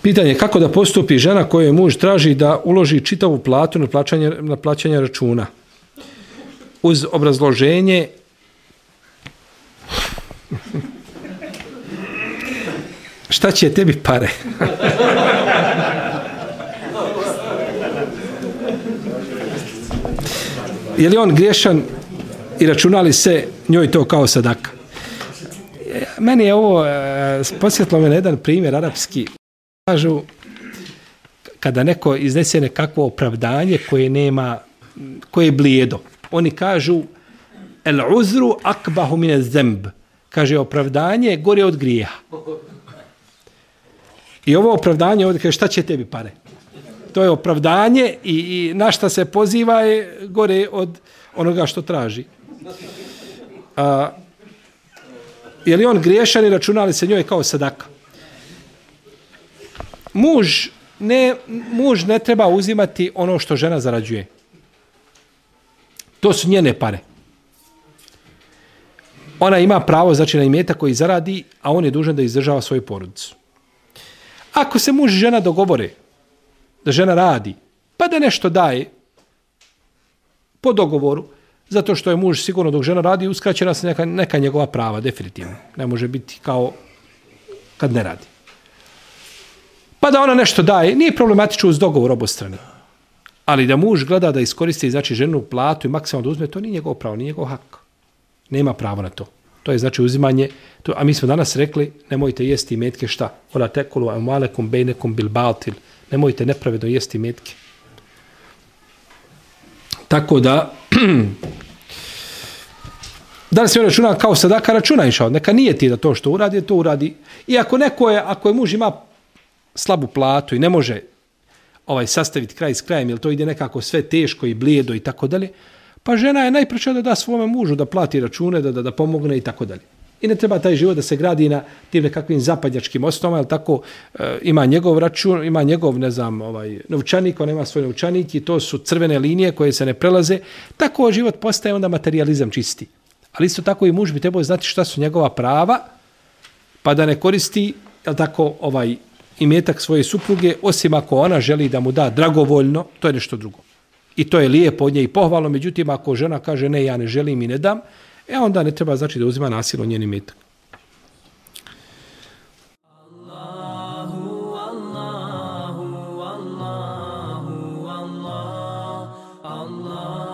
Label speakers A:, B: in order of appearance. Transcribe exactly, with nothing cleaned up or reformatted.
A: Pitanje je kako da postupi žena kojoj muž traži da uloži čitavu platu na plaćanje, na plaćanje računa. Uz obrazloženje šta će tebi pare? Je li on griješan i računa li se njoj to kao sadaka? Meni je ovo e, posjetilo me na jedan primjer arapski. Kažu, kada neko iznese nekakvo opravdanje koje nema, koje je blijedo. Oni kažu, el uzru akbahu mine zemb. Kaže, opravdanje je gore od grijeha. I ovo opravdanje ovdje kaže, šta će tebi pare? To je opravdanje i, i na šta se poziva je gore od onoga što traži. A, je li on griješan i računa li se njoj kao sadaka? Muž ne, muž ne treba uzimati ono što žena zarađuje. To su njene pare. Ona ima pravo, znači, na imetak koji zaradi, a on je dužan da izdržava svoju porodicu. Ako se muž i žena dogovore da žena radi, pa da nešto daje po dogovoru, zato što je muž sigurno dok žena radi, uskraćena se neka, neka njegova prava, definitivno. Ne može biti kao kad ne radi. Pa da ona nešto daje, nije problematično uz dogovor obostrane. Ali da muž gleda da iskoristi, znači, ženu platu i maksimalno da uzme, to nije njegov pravo, nije njegov hak. Nema pravo na to. To je znači uzimanje, to, a mi smo danas rekli, nemojte jesti imetke šta? Ola tekulu amalekum bejnekum bil baltil. Nemojte nepravedno jesti imetke. Tako da, da li se računa kao sadaka, računa inšao. Neka nije ti da to što uradi, to uradi. I ako neko je, ako je muž ima slabu platu i ne može ovaj sastaviti kraj s krajem, jer to ide nekako sve teško i blijedo i tako dalje, pa žena je najpreća da da svome mužu, da plati račune, da, da, da pomogne i tako dalje. I ne treba taj život da se gradi na tim nekakvim zapadnjačkim osnovama, ali tako e, ima njegov račun, ima njegov, ne znam, ovaj, novčanik, on ima svoj novčanik i to su crvene linije koje se ne prelaze. Tako život postaje onda materijalizam čisti. Ali isto tako i muž bi trebao znati šta su njegova prava, pa da ne koristi, jel tako, ovaj imetak svoje supruge, osim ako ona želi da mu da dragovoljno, to je nešto drugo. I to je lijepo od nje i pohvalno, međutim, ako žena kaže ne, ja ne želim i ne dam, e onda ne treba znači da uzima nasilno njen imetak. Allahu, Allahu, Allahu, Allah, Allah.